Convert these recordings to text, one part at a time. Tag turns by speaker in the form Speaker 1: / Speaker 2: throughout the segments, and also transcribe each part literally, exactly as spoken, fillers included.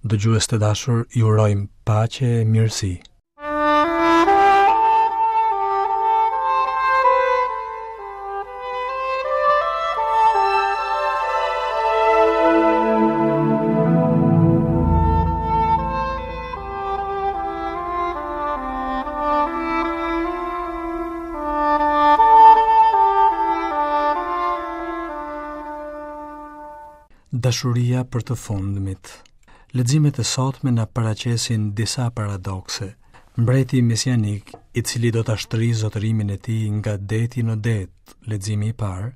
Speaker 1: Dëgjues të dashur, ju urojmë paqe e mirësi. Dashuria për të fundmit. Leximet e sotme na paraqesin disa paradokse. Mbreti mesianik, i cili do ta shtrijë zotërimin e tij nga deti në det, leximi i parë,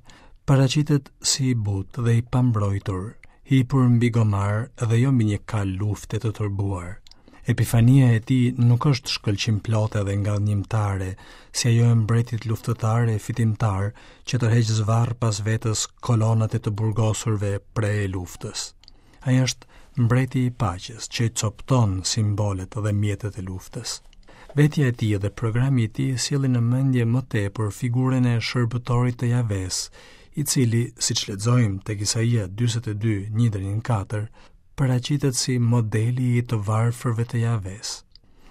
Speaker 1: paraqitet si i butë dhe i pambrojtur, hipur mbi gomar dhe jo mbi një kalë lufte të tërbuar. Epifania e tij nuk është shkëlqimplote dhe ngadhnjimtare, si ajo e mbretit luftëtar e fitimtar që tërheq zvarr pas vetes kolonat e të burgosurve pre e luftës. Ai është mbreti i paqes që i copton simbolet dhe mjetet e luftës. Vetja e tij dhe programi i tij sjellin në mendje më tepër figurën e shërbëtorit të Javes, i cili, siç lexojmë tek Isaia dyzet e dy, një deri në katër, paraqitet si modeli i të varfërve të Javes.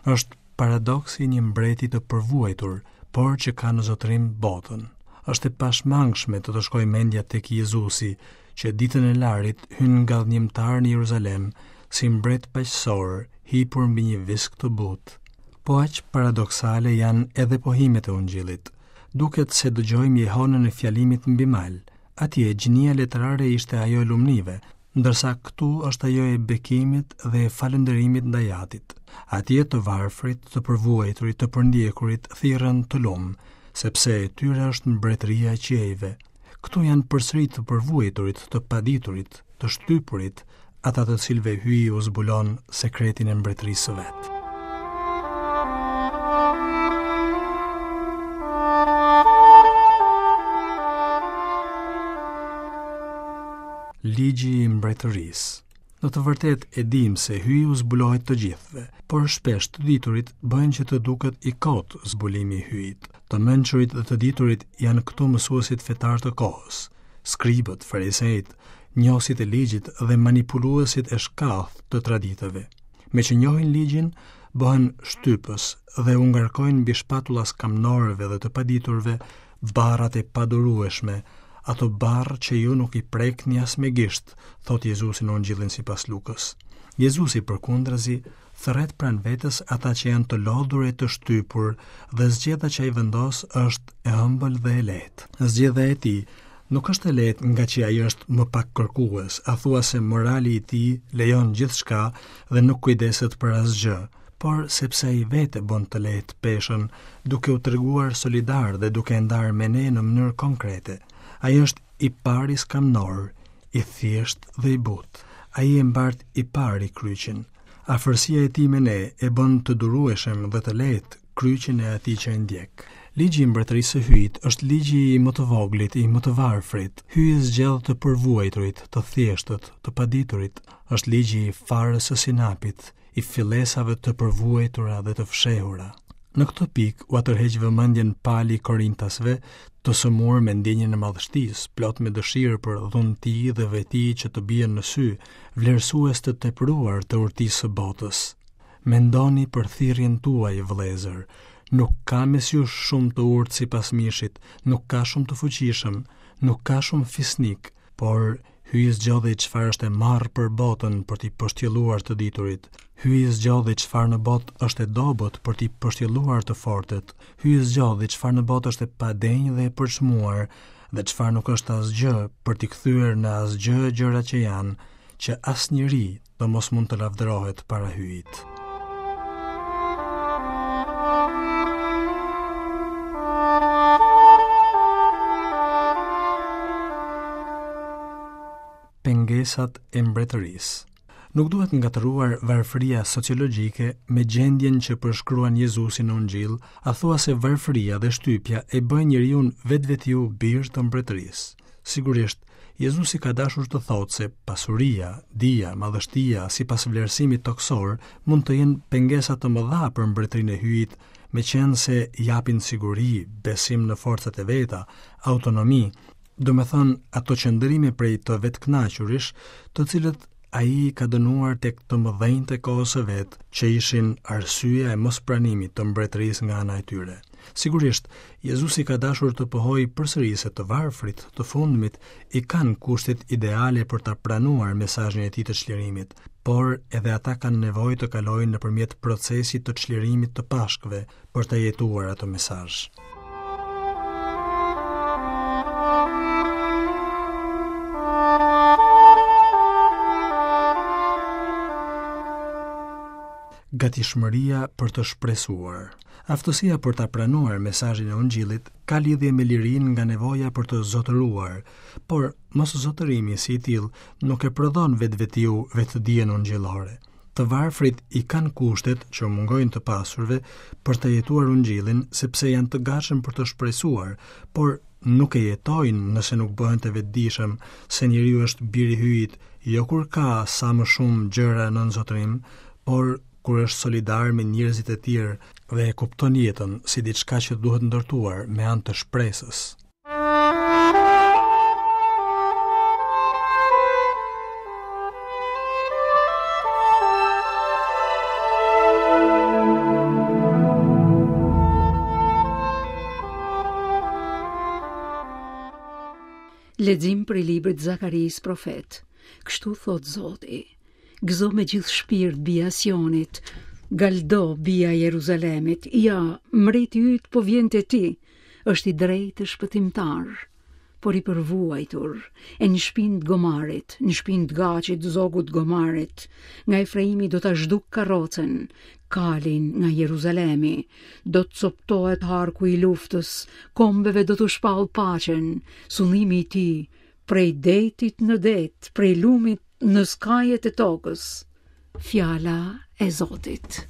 Speaker 1: Është paradoksi i një mbreti të përvuajtur, por që ka në zotërim botën. Është e pashmangshme të të shkojë mendja tek Jezusi, që ditën e larit hyn ngadhnjimtar në Jeruzalem si mbret paqësor, hipur mbi një visk të butë. Po aq paradoksale janë edhe pohimet e Ungjillit. Duket se dëgjojmë jehonën e fjalimit mbi mal. Atje gjinia letrare ishte ajo e lumnive, ndërsa këtu është ajo e bekimit dhe e falënderimit ndaj Atit. Atje të varfrit, të përvuajturit, të përndjekurit thirrën të lum, sepse e tyre është mbretëria e qiejve. Këtu janë përsëri të përvuajturit, të paditurit, të shtypurit, ata të cilëve Hyji u zbulon sekretin e mbretërisë së vet. Ligji i mbretërisë. Në të vërtetë e dim se Hyji u zbulohet të gjithëve, por shpesh të diturit bëjnë që të duket i kot zbulimi i Hyjit. Të mençurit dhe të diturit janë këtu mësuesit fetar të kohës, skribët, farisejt, njohësit e ligjit dhe manipuluesit e shkathët të traditave. Me që njohin ligjin, bëhen shtypës dhe u ngarkojnë mbi shpatulla skamnorëve dhe të paditurve barrat e padurueshme, ato barrë që ju nuk i prekni as me gisht, thot Jezusi në Ungjillin sipas Lukës. Jezusi përkundrazi thërret pranë vetes ata që janë të lodhur e të shtypur dhe zgjedha që ai vendos është e ëmbël dhe e lehtë. Zgjedha e tij nuk është e lehtë nga që ai është më pak kërkues, a thua se morali i tij lejon gjithçka dhe nuk kujdeset për asgjë, por sepse ai vetë bën të lehtë peshën, duke u treguar solidar dhe duke e ndarë me ne në mënyrë konkrete. Ai është i pari skamnor, i thjeshtë dhe i butë. Ai e mbart i pari kryqin. Afërsia e tij me ne e bën të durueshëm dhe të lehtë kryqin e atij që e ndjek. Ligji i mbretërisë së Hyjit është ligji i më të voglit, i më të varfrit. Hyji zgjedh të përvuajturit, të thjeshtët, të paditurit. Është ligji i farës së sinapit, i fillesave të përvuajtura dhe të fshehura. Në këtë pikë ua tërheq vëmendjen Pali Korintasve, të sëmurë me ndjenjën e madhështisë, plot me dëshirë për dhunti dhe veti që të bien në sy, vlerësues të tepruar të urtisë së botës. Mendoni për thirrjen tuaj, vëllezër. Nuk ka mes jush shumë të urtë sipas mishit, nuk ka shumë të fuqishëm, nuk ka shumë fisnik, por Hyji zgjodhi çfarë është e marrë për botën për t'i pështjelluar të diturit. Hyji zgjodhi çfarë në botë është e dobët për t'i pështjelluar të fortët. Hyji zgjodhi çfarë në botë është e padenjë dhe e përçmuar dhe çfarë nuk është asgjë për t'i kthyer në asgjë gjërat që janë, që asnjeri të mos mund të lavdërohet para Hyjit. Pengesat e mbretërisë. Nuk duhet ngatërruar varfëria sociologjike me gjendjen që përshkruan Jezusi në Ungjill, a thua se varfëria dhe shtypja e bëjnë njeriun vetvetiu bir të mbretërisë. Sigurisht, Jezusi ka dashur të thotë se pasuria, dija, madhështia, sipas vlerësimit toksor, mund të jenë pengesa të mëdha për mbretërinë e Hyjit, meqenëse japin siguri, besim në forcat e veta, autonomi, do me thënë ato qëndrime prej të vetkënaqurish, të cilët Ai i ka dënuar tek të mëdhenjtë e kohës së vet, që ishin arsyeja e mospranimit të mbretërisë nga ana e tyre. Sigurisht, Jezusi ka dashur të pohojë përsëri se të varfrit, të fundmit, i kanë kushtet ideale për ta pranuar mesazhin e tij të çlirimit, por edhe ata kanë nevojë të kalojnë nëpërmjet procesit të çlirimit të Pashkëve për ta jetuar atë mesazh. Gatishmëria për të shpresuar. Aftësia për ta pranuar mesazhin e Ungjillit ka lidhje me lirinë nga nevoja për të zotëruar, por mos zotërimi si i tillë nuk e prodhon vetvetiu vetëdijen ungjillore. Të varfrit i kanë kushtet që u mungojnë të pasurve për të jetuar Ungjillin, sepse janë të gatshëm për të shpresuar, por nuk e jetojnë nëse nuk bëhen të vetëdijshëm se njeriu është bir i Hyjit, jo kur ka sa më shumë gjëra nën zotërim, por kur është solidar me njerëzit e tjerë dhe e kupton jetën si diçka që duhet ndërtuar me anë të shpresës.
Speaker 2: Lexim prej librit Zakarisë profet. Kështu thot Zoti: Gëzo me gjithë shpirt bija Sionit, galdo bija Jeruzalemit, ja, mbreti yt po vjen te ti, është i drejtë e shpëtimtar, por i përvuajtur, e në shpinë të gomarit, në shpinë të gacit, zogut gomarit, nga Efraimi do ta zhduk karrocën, kalin nga Jeruzalemi, do të coptohet harku i luftës, kombeve do t'u shpall paqen, sundimi i tij prej detit në det, prej lumit në skajet e tokës. Fjala e Zotit.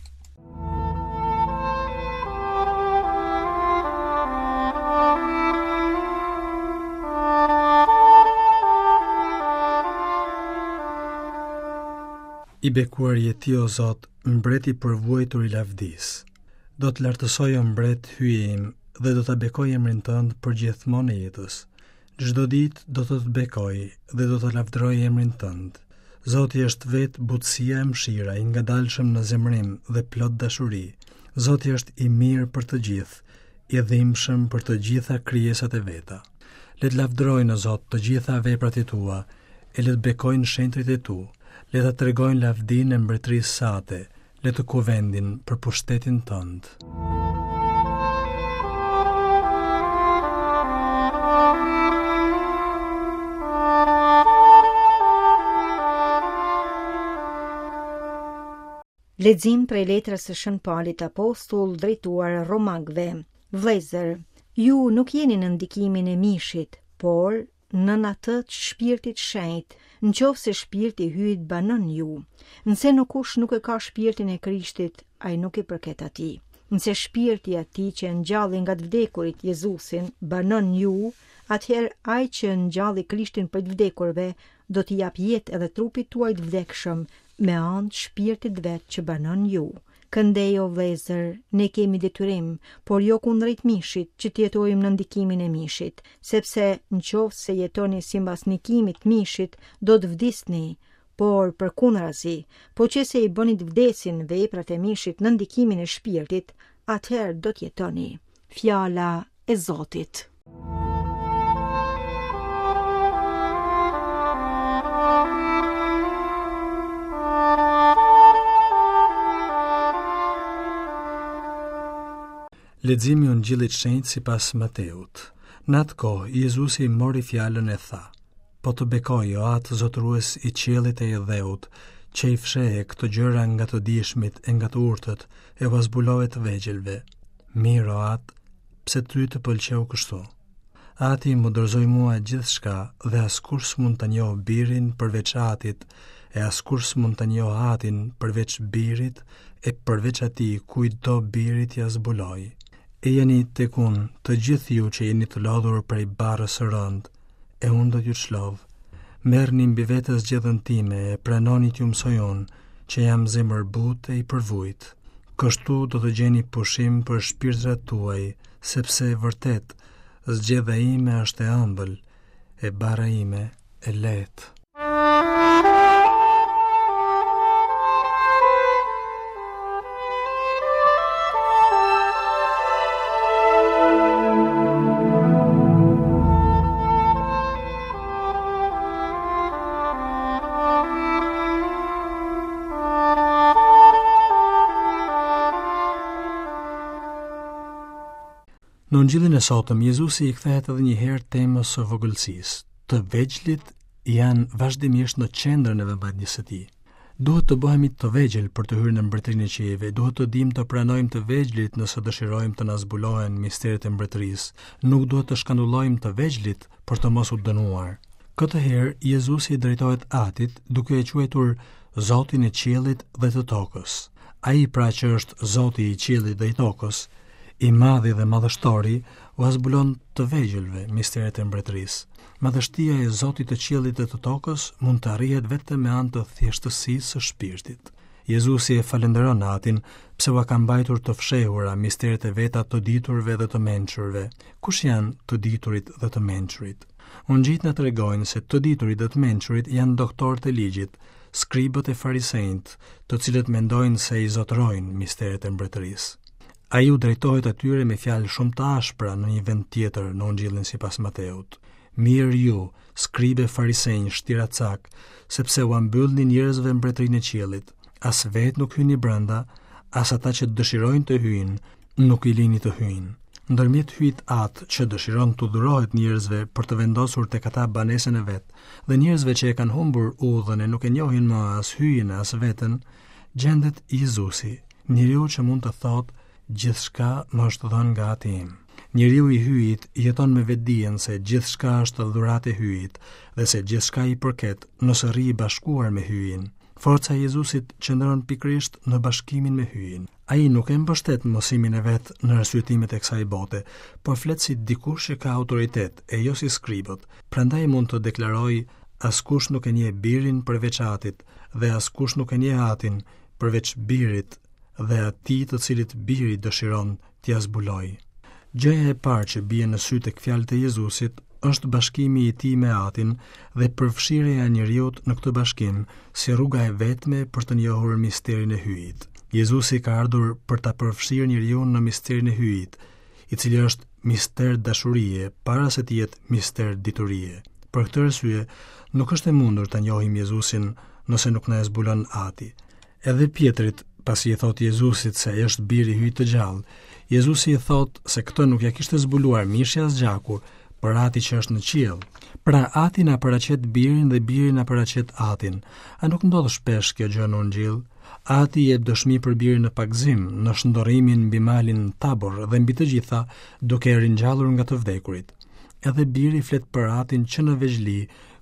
Speaker 1: I bekuar je ti, o Zot, mbreti i përvuajtur i lavdisë. Do të lartësoj, o mbret, Hyji im, dhe do ta bekoj emrin tënd për gjithmonë e jetës. Çdo ditë do të të bekoj dhe do të lavdëroj emrin tënd. Zoti është vetë butësia e mëshira, i ngadalshëm në zemërim dhe plot dashuri. Zoti është i mirë për të gjithë, i dhimbshëm për të gjitha krijesat e veta. Le të lavdërojnë, o Zot, të gjitha veprat e tua, e le të bekojnë shenjtrit e tu. Le ta tregojnë lavdinë e mbretërisë sate, le të kuvendin për pushtetin tënd.
Speaker 3: Lexim prej letrës së Shën Palit Apostull drejtuar Romakëve. Vëllezër, ju nuk jeni në ndikimin e mishit, por nën atë të shpirtit shenjt, në qoftë se shpirti i Hyjit banon ju. Nëse kush nuk e ka shpirtin e Krishtit, ai nuk i përket atij. Nëse shpirti i atij që e ngjalli nga të vdekurit Jezusin banon ju, atëherë ai që ngjalli Krishtin prej të vdekurve do t'i jap jetë edhe trupit tuaj të vdekshëm me anë të shpirtit vet që banon ju. Këndej, o vëllezër, ne kemi detyrim, por jo kundrejt mishit, që të jetojmë në ndikimin e mishit, sepse në qoftë se jetoni sipas ndikimit të mishit, do të vdisni, por përkundrazi, po që se i bëni të vdesin veprat e mishit në ndikimin e shpirtit, atëherë do të jetoni. Fjala e Zotit.
Speaker 1: Leximi i Ungjillit Shenjt sipas Mateut. Në atë kohë, Jezusi mori fjalën e tha: Po të bekoj, o Atë zotërues i qiellit e i dheut, që i fshehe këto gjëra nga të dijshmit e nga të urtët, e ua zbulove të vegjëlve. Mirë, o Atë, pse ty të pëlqeu kështu? Ati më dorëzoi mua gjithçka dhe askush s'mund ta njohë birin përveç Atit, e askush s'mund ta njohë Atin përveç birit, e përveç atij kujt do biri t'ia zbuloj. Ejani tek unë, të gjithë ju që jeni të lodhur prej barrës së rëndë, e unë do t'ju çlodh. Merrni mbi vete zgjedhën time e pranoni t'ju mësoj unë, që jam zemërbutë e i përvujt. Kështu do të gjeni pushim për shpirtrat tuaj, sepse vërtet zgjedha ime është e ëmbël, e barra ime e lehtë. Në Ungjillin e sotëm, Jezusi i kthehet edhe një herë temës së vogëlsisë. Të vegjlit janë vazhdimisht në qendrën e vëmendjes së tij. Duhet të bëhemi të vegjël për të hyrë në mbretërinë e qiejve, duhet të dimë të pranojmë të vegjlit nëse dëshirojmë të na zbulohen misteret e mbretërisë. Nuk duhet të shkandullojmë të vegjlit për të mos u dënuar. Këtë herë Jezusi i drejtohet Atit duke e quajtur Zotin e qiellit dhe të tokës. Ai pra që është Zoti i qiellit dhe i tokës, i madhi dhe madhështori, ua zbulon të vegjëlve misteret e mbretërisë. Madhështia e Zotit të qiellit dhe të tokës mund të arrihet vetëm me anë të thjeshtësisë së shpirtit. Jezusi e falënderon Atin pse ua ka mbajtur të fshehura misteret e veta të diturve dhe të mençurve. Kush janë të diturit dhe të mençurit? Ungjijtë na tregojnë se të diturit dhe të mençurit janë doktorët e ligjit, skribët e farisejt, të cilët mendojnë se i zotërojnë misteret e mbretërisë. Ai u drejtohet atyre me fjalë shumë të ashpra në një vend tjetër në Ungjillin sipas Mateut. Mirë ju, skribe farisenj, shtiracak, sepse ua mbyllni njerëzve mbretërinë e qiellit. As vetë nuk hyni brenda, as ata që dëshirojnë të hyjnë, nuk i lini të hyjnë. Ndërmjet Hyjit Atë që dëshiron t'u dhurohet njerëzve për të vendosur tek ata banesën e vet, dhe njerëzve që e kanë humbur udhën e nuk e njohin më as Hyjin as veten, gjendet Jezusi, njeriu që mund të thotë gjithçka më është dhënë nga Ati im. Njeriu i Hyjit jeton me vetdijen se gjithçka është dhuratë e Hyjit dhe se gjithçka i përket nëse rri i bashkuar me Hyjin. Forca e Jezusit qëndron pikërisht në bashkimin me Hyjin. Ai nuk e mbështet mësimin e vet në arsyetimet e kësaj bote, por flet si dikush që ka autoritet e jo si skribët. Prandaj mund të deklarojë askush nuk e njeh birin përveç Atit dhe askush nuk e njeh Atin përveç birit dhe atij të cilit biri dëshiron t'ia zbulojë. Gjëja e parë që bie në sy tek fjalët e Jezusit është bashkimi i tij me Atin dhe përfshirja e njeriut në këtë bashkim si rruga e vetme për të njohur misterin e Hyjit. Jezusi ka ardhur për ta përfshirë njeriun në misterin e Hyjit, i cili është mister dashurie para se të jetë mister diturie. Për këtë arsye, nuk është e mundur ta njohim Jezusin nëse nuk na e zbulon Ati. Edhe Pjetrit, pasi i thot Jezusit se ai është biri i Hyjit të gjallë, Jezusi i thot se këtë nuk ja kishte zbuluar mishi as gjaku, por Ati që është në qiell. Pra Ati na paraqet birin dhe biri na paraqet Atin. A nuk ndodh shpesh kjo gjë në Ungjillë? Ati jep dëshmi për birin në pagëzim, në shndërrimin mbi malin Tabor dhe mbi të gjitha duke e ringjallur nga të vdekurit. Edhe biri flet për Atin që në vegjëli,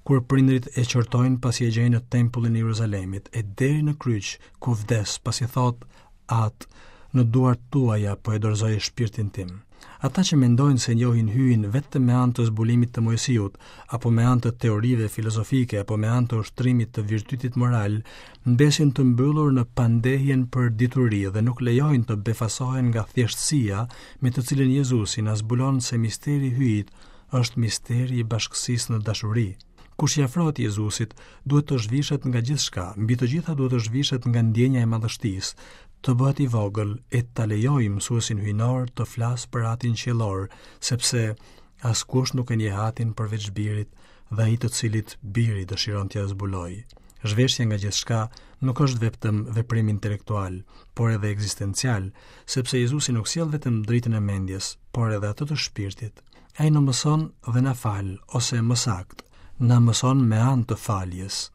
Speaker 1: kur prindrit e qortojnë pasi e gjejnë në tempullin e Jeruzalemit, e deri në kryq, ku vdes, pasi thot, At, në duart tuaja po e dorëzoj shpirtin tim. Ata që mendojnë se njohin Hyjin vetëm me anë të zbulimit të Moisiut, apo me anë të teorive filozofike, apo me anë të ushtrimit të virtytit moral, mbesin të mbyllur në pandehjen për dituri dhe nuk lejojnë të befasohen nga thjeshtësia me të cilën Jezusi na zbulon se misteri i Hyjit është misteri i bashkësisë në dashuri. Kush i afrohet Jezusit, duhet të zhvishet nga gjithçka, mbi të gjitha duhet të zhvishet nga ndjenja e madhështisë, të bëhet i vogël e ta lejojë mësuesin hyjnor të flasë për Atin qiellor, sepse askush nuk e njeh Atin përveç birit dhe ai të cilit biri dëshiron t'ia zbulojë. Zhveshja nga gjithçka nuk është vetëm veprim intelektual, por edhe ekzistencial, sepse Jezusi nuk sjell vetëm dritën e mendjes, por edhe atë të shpirtit. Ai na mëson dhe na fal, ose më saktë, na mëson me anë të faljes.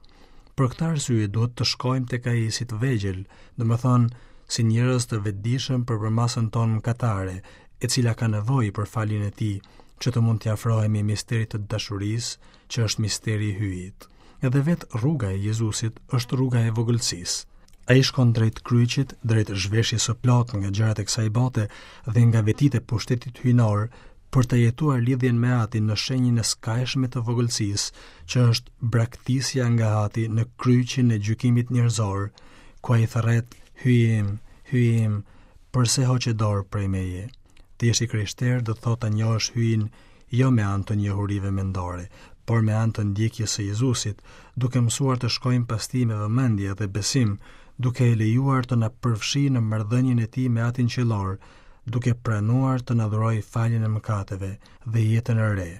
Speaker 1: Për këtë arsye duhet të shkojmë tek ai si të vegjël, domethënë si njerëz të vetëdijshëm për përmasën tonë mëkatare, e cila ka nevojë për faljen e tij, që të mund t'i afrohemi misterit të dashurisë, që është misteri i Hyjit. Edhe vetë rruga e Jezusit është rruga e vogëlsisë. Ai shkon drejt kryqit, drejt zhveshjes së plotë nga gjërat e kësaj bote dhe nga vetitë e pushtetit hyjnor, për të jetuar lidhjen me Atin në shenjën e skajshme të vogëlsisë, që është braktisja nga Ati në kryqin e gjykimit njerëzor, ku ai thërret, Hyji im, Hyji im, përse hoqe dorë prej meje? Të jesh i krishterë do të thotë ta njohësh Hyjin jo me anë të njohurive mendore, por me anë të ndjekjes së Jezusit, duke mësuar të shkojmë pas tij me vëmendje dhe besim, duke e lejuar të na përfshijë në marrëdhënien e tij me Atin qiellor, duke pranuar të na dhurojë faljen e mëkateve dhe jetën e re.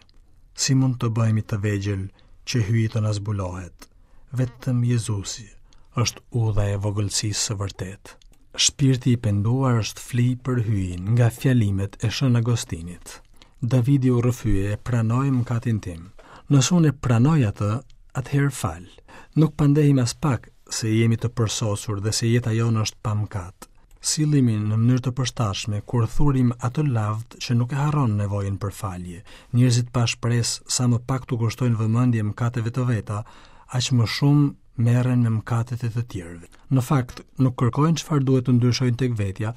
Speaker 1: Si mund të bëhemi të vegjël që Hyji të na zbulohet? Vetëm Jezusi është udha e vogëlsisë së vërtetë. Shpirti i penduar është fli për Hyjin nga fjalimet e Shën Agostinit. Davidi u rrëfye e pranoj mëkatin tim. Nëse unë e pranoj atë, atëherë fal. Nuk pandehim as pak se jemi të përsosur dhe se jeta jonë është pa mëkat. Sillemi në mënyrë të përshtatshme kur thurim atë lavd që nuk e harron nevojën për falje. Njerëzit pa shpresë sa më pak t'u kushtojnë vëmendje mëkateve të veta, aq më shumë merren me mëkatet e të tjerëve. Në fakt, nuk kërkojnë çfarë duhet të ndryshojnë tek vetja,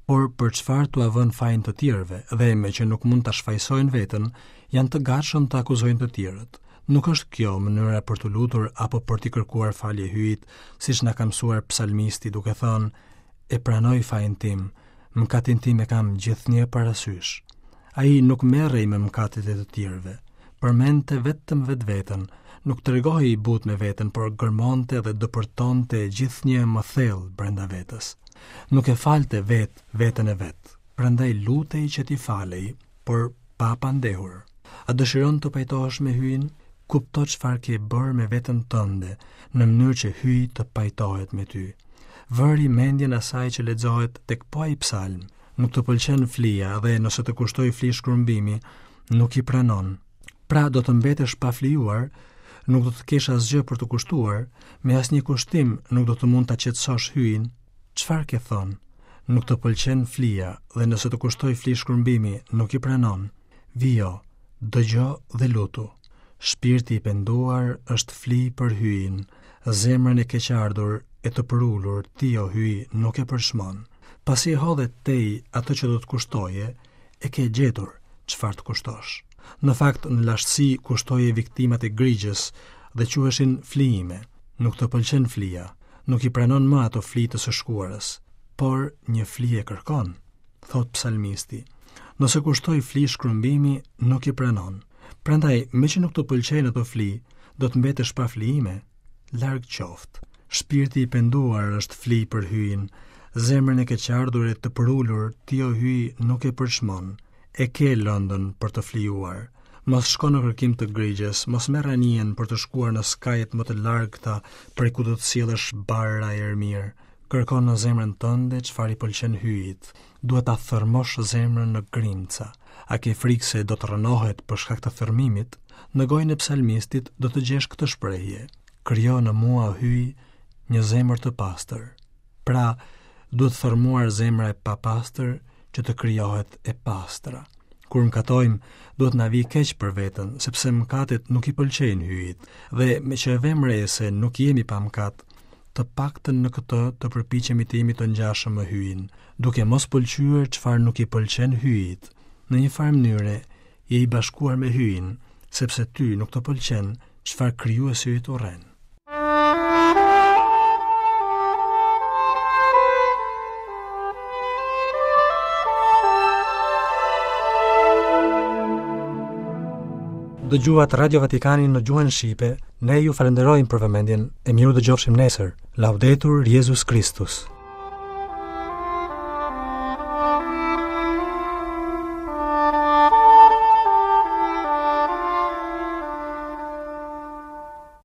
Speaker 1: por për çfarë t'ua vënë fajin të tjerëve, dhe me që nuk mund ta shfajsojnë veten, janë të gatshëm të akuzojnë të tjerët. Nuk është kjo mënyra për t'u lutur apo për t'i kërkuar falje Hyjit, siç na ka mësuar psalmisti duke thënë: "E pranoj fajin tim, mëkatin tim e kam gjithnjë parasysh." Ai nuk merrej me mëkatet e të tjerëve, përmendte vetëm vetveten, nuk tregohej i butë me veten, por gërmonte dhe depërtonte gjithnjë më thellë brenda vetes. Nuk e falte vet veten e vet, prandaj lutej që t'i falej, por pa pandehur. A dëshiron të pajtohesh me Hyjin? Kupto çfarë ke bërë me veten tënde, në mënyrë që Hyji të pajtohet me ty. Vëri mendjen asaj që lexohet tek po ai psalm. Nuk të pëlqen flia dhe nëse të kushtoj fli shkrumbimi, nuk i pranon. Pra do të mbetesh pa flijuar, nuk do të kesh asgjë për të kushtuar, me asnjë kushtim nuk do të mund ta qetësosh Hyjin. Çfarë ke thënë? Nuk të pëlqen flia dhe nëse të kushtoj fli shkrumbimi, nuk i pranon. Vijo, dëgjo dhe lutu. Shpirti i penduar është fli për Hyjin, zemrën e keqardhur e të përulur ti o Hyj nuk e përshmon. Pasi e hodhe tej atë që do të kushtoje, e ke gjetur çfarë të kushtosh. Në fakt, në lashtësi kushtoje viktimat e grigjës dhe quheshin flijime. Nuk të pëlqen flia, nuk i pranon më ato fli të së shkuarës, por një fli e kërkon, thot psalmisti. Nëse kushtoj fli shkrumbimi, nuk i pranon. Prandaj, meqë nuk të pëlqejnë ato fli, do të mbetesh pa flijime. Larg qoftë. Shpirti i penduar është fli për Hyjin, zemrën e keqardhur e të përulur ti o Hyj nuk e përçmon. E ke lëndën për të flijuar. Mos shko në kërkim të grigjës, mos merr anijen për të shkuar në skajet më të largëta prej ku do të sjellësh barra e erë mirë. Kërko në zemrën tënde çfarë i pëlqen Hyjit. Duhet ta thërmosh zemrën në grimca. A ke frikë se do të rrënohet për shkak të thërmimit? Në gojën e psalmistit do të gjesh këtë shprehje: Krijo në mua, Hyj, një zemër të pastër. Pra, duhet thërmuar zemra e papastër që të krijohet e pastra. Kur mëkatojmë, duhet na vijë keq për veten, sepse mëkatet nuk i pëlqejnë Hyjit, dhe me që e vëmë re se nuk jemi pa mëkat, të paktën në këtë të përpiqemi të jemi të ngjashëm me Hyjin, duke mos pëlqyer çfarë nuk i pëlqen Hyjit. Në një farë mënyre, je i bashkuar me Hyjin, sepse ty nuk të pëlqen çfarë krijuesi yt urren. Dëgjuat Radio Vatikanin në gjuhën shqipe, ne ju falenderojmë për vëmendjen e mirë u dëgjofshim nesër. Laudetur Jezus Christus.